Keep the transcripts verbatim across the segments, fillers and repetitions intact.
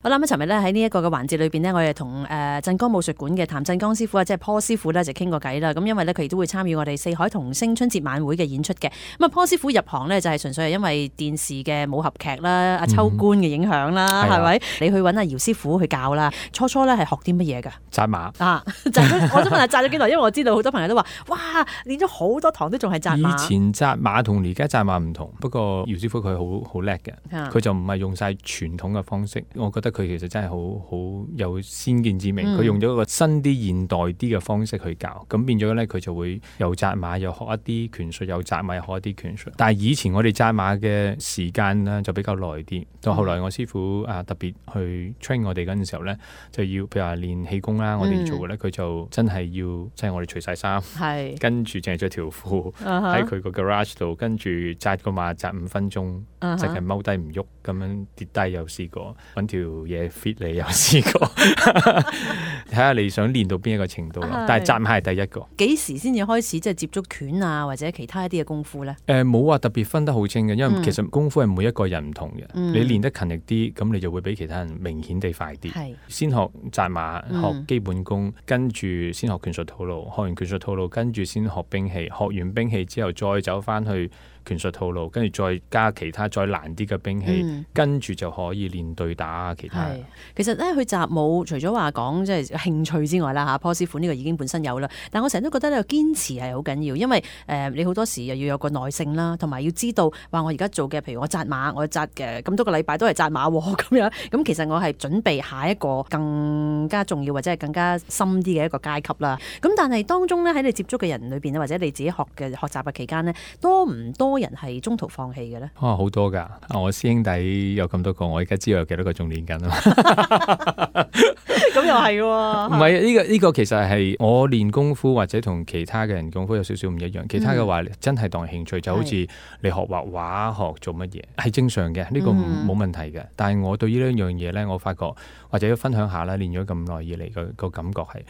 好啦，咁尋日咧喺呢一個嘅環節裏邊呢，我哋同誒鎮江武術館嘅譚振剛師傅啊，即係 Paul 師傅咧就傾過偈啦。咁因為咧佢亦都會參與我哋四海童聲春節晚會嘅演出嘅。咁啊 Paul 師傅入行呢，就係純粹係因為電視嘅武俠劇啦、阿秋官嘅影響啦，係咪、嗯？你去揾阿姚師傅去教啦。初初咧係學啲乜嘢㗎？紮馬啊，紮咗我想問下紮咗幾耐？因為我知道好多朋友都話，哇，練咗好多堂都仲係紮馬。以前紮馬同而家紮馬唔同，不過姚師傅佢好好叻嘅，佢就唔係用晒傳統嘅方式。我覺得佢其實真係好。好有先見之明，佢、嗯、用咗一個新啲現代啲嘅方式去教，咁變咗咧佢就會又紮馬又學一啲拳術，又紮馬又學一啲拳術。但係以前我哋紮馬嘅時間呢就比較耐啲，到後來我師傅啊特別去 train 我哋嗰陣時候咧，就要譬如話練氣功啦，我哋做嘅咧佢就真係要即係我哋除晒衫，跟住淨係着條褲喺佢個 garage 度，跟住紮個馬紮五分鐘，淨係踎低唔喐，咁樣跌低又試過，揾條嘢 fit 你。有試過，睇下你想練到邊一個程度咯。但係紮馬係第一個。幾時先至開始即係接觸拳啊，或者其他一啲嘅功夫咧？誒冇話特別分得好清嘅，因為其實功夫係每一個人唔同嘅。嗯、你練得勤力啲，咁你就會比其他人明顯地快啲。係先學紮馬，學基本功，嗯、跟住先學拳術套路，學完拳術套路，跟住先學兵器，學完兵器之後再走翻去拳術套路，跟住再加其他再難啲嘅兵器，嗯、跟住就可以練對打啊其他。其實咧，去習武除咗話講即係興趣之外啦嚇，Paul師傅呢個已經本身有啦。但我成日都覺得呢個堅持係好緊要，因為誒、呃、你好多時又要有個耐性啦，同埋要知道話我而家做嘅，譬如我紮馬，我紮嘅咁多個禮拜都係紮馬喎咁樣。咁其實我係準備下一個更加重要或者係更加深啲嘅一個階級啦。咁但係當中咧喺你接觸嘅人裏邊或者你自己學嘅學習嘅期間呢，多唔多人係中途放棄嘅咧？哦，好多㗎！我師兄弟有咁多個，我而家知道有幾多個仲練緊啊！咁又係喎，唔係呢個呢、呢個其實係我練功夫或者同其他嘅人功夫有少少唔一樣。其他嘅話、嗯、真係當興趣，就好似你學畫畫、學做乜嘢係正常嘅，呢、呢個冇問題嘅。嗯、但係我對於呢樣嘢咧，我發覺或者要分享下啦，練咗咁耐以嚟個個感覺係。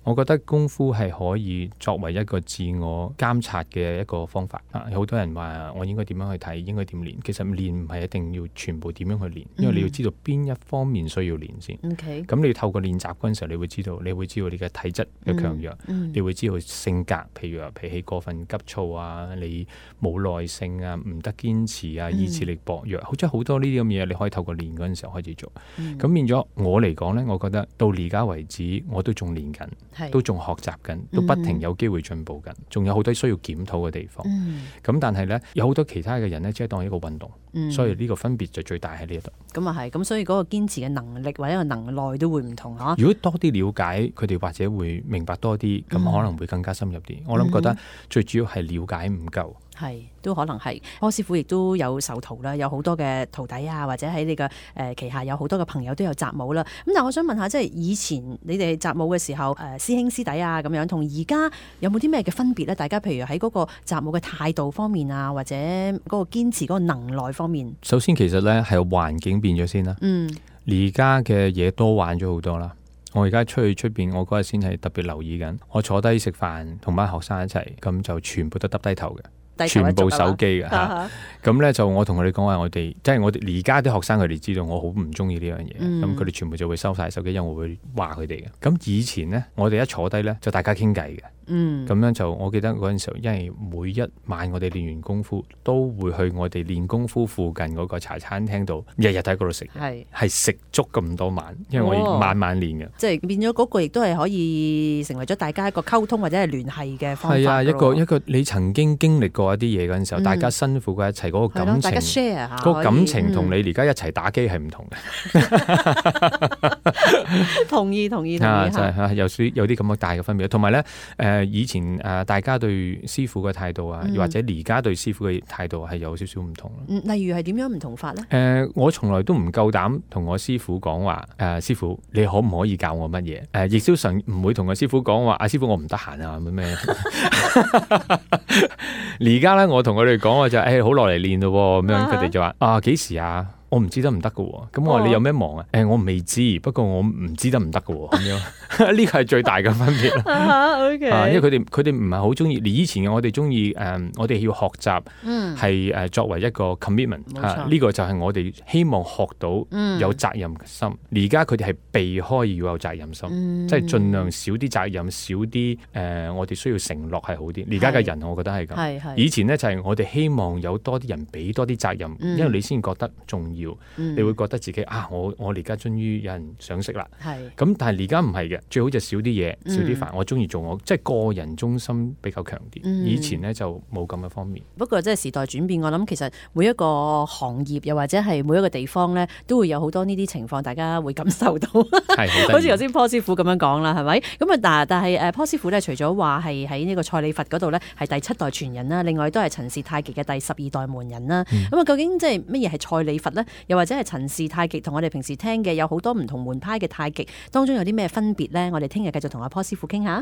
我覺得功夫係可以作為一個自我監察嘅一個方法啊！有好多人話我應該點樣去睇，應該點練。其實練唔係一定要全部點樣去練，因為你要知道邊一方面需要練先。咁、okay. 你要透過練習嗰陣時候，你會知道，你會知道你嘅體質嘅強弱，嗯嗯、你會知道性格，譬如話脾氣過分急躁啊，你冇耐性啊，唔得堅持啊，意志力薄弱，好似好多呢啲咁嘅嘢，你可以透過練嗰陣時候開始做。咁、嗯、變咗我嚟講呢，我覺得到而家為止，我都仲練緊。都仲學習緊，都不停有機會進步緊，仲、嗯、有好多需要檢討嘅地方。咁、嗯、但係呢，有好多其他嘅人呢，只係當一個運動，嗯、所以呢個分別就最大喺呢一度。咁啊係，咁所以嗰個堅持嘅能力或者個能耐都會唔同嚇。如果多啲了解佢哋，或者會明白多啲，咁、嗯、可能會更加深入啲。我諗覺得最主要係了解唔夠。係，都可能係。柯師傅亦都有授徒啦，有好多嘅徒弟啊，或者喺你嘅誒旗下有好多嘅朋友都有習武啦。咁但係我想問下，即係以前你哋習武嘅時候，誒、呃、師兄師弟啊咁樣，同而家有冇啲咩嘅分別咧？大家譬如喺嗰個習武嘅態度方面啊，或者嗰個堅持嗰個能耐方面。首先其實咧係環境變咗先啦。嗯。而家嘅嘢多玩咗好多啦。我而家出去出邊，我嗰日先係特別留意緊。我坐低食飯，同班學生一齊，咁就全部都耷低頭嘅。全部手機嘅嚇，咁咧就我同佢哋講話，我哋即係我哋而家啲學生佢哋知道我好唔中意呢樣嘢，咁佢哋全部就會收晒手機，因為我會話佢哋嘅。咁以前咧，我哋一坐低咧就大家傾偈嘅，咁、嗯、樣就我記得嗰陣時候，因為每一晚我哋練完功夫，都會去我哋練功夫附近嗰個茶餐廳度，日日喺嗰度食，係係食足咁多晚，因為我晚晚練嘅，即係變咗嗰個亦都係可以成為咗大家一個溝通或者係聯繫嘅方法。係啊，一個一個你曾經經歷過一啲嘢嗰陣時候，嗯、大家辛苦過一齊嗰、嗰個感情，大家 share 下，嗰個感情同你而家一齊打機係唔同嘅。同意同意同意，啊就係、有啲有啲咁嘅大嘅分別。同埋咧，誒、呃、以前誒、呃、大家對師傅嘅態度啊，嗯、或者而家對師傅嘅態度係有少少唔同。例如係點樣唔同法咧？誒、呃，我從來都唔夠膽同我師傅講話，誒、呃、師傅你可唔可以教我乜嘢？誒、呃，亦都常唔會同個師傅講話，阿、啊、師傅我唔得閒啊，咩？而家咧，我同佢哋講我就誒好落嚟練咯，咁樣佢哋就話啊幾時啊？我唔知得唔得㗎喎。咁我話、哦、你有咩忙啊？誒、欸，我未知，不過我唔知得唔得㗎喎。咁樣呢個係最大嘅分別。Okay. 啊，因為佢哋佢哋唔係好中意。以前嘅我哋中意誒，我哋要學習係誒作為一個 commitment 呢、啊呢個就係我哋希望學到有責任心。而家佢哋係避開要有責任心，嗯、即係盡量少啲責任，少啲誒、呃，我哋需要承諾係好啲。而家嘅人我覺得係咁。以前呢，就係、是、我哋希望有多啲人俾多啲責任，嗯、因為你先覺得重要，嗯、你會覺得自己啊，我我而家終於有人賞識啦。咁但係而家唔係嘅，最好就少啲嘢，少啲煩。嗯、我中意做我，即係個人中心比較強啲。嗯、以前呢，就冇咁嘅方面。不過即係時代轉變，我諗其實每一個行業又或者係每一個地方呢，都會有好多呢啲情況，大家會感受到。係好似頭先坡師傅咁樣講啦，係咪？咁啊，但但係誒坡師傅咧，除咗話係喺呢個蔡李佛嗰度咧，係第七代傳人啦，另外都係陳氏太極嘅第十二代門人啦。咁啊、嗯，究竟即係乜嘢係蔡李佛咧？又或者係陳氏太極同我哋平時聽嘅有好多唔同門派嘅太極當中有啲咩分別咧？我哋聽日繼續同阿坡師傅傾下。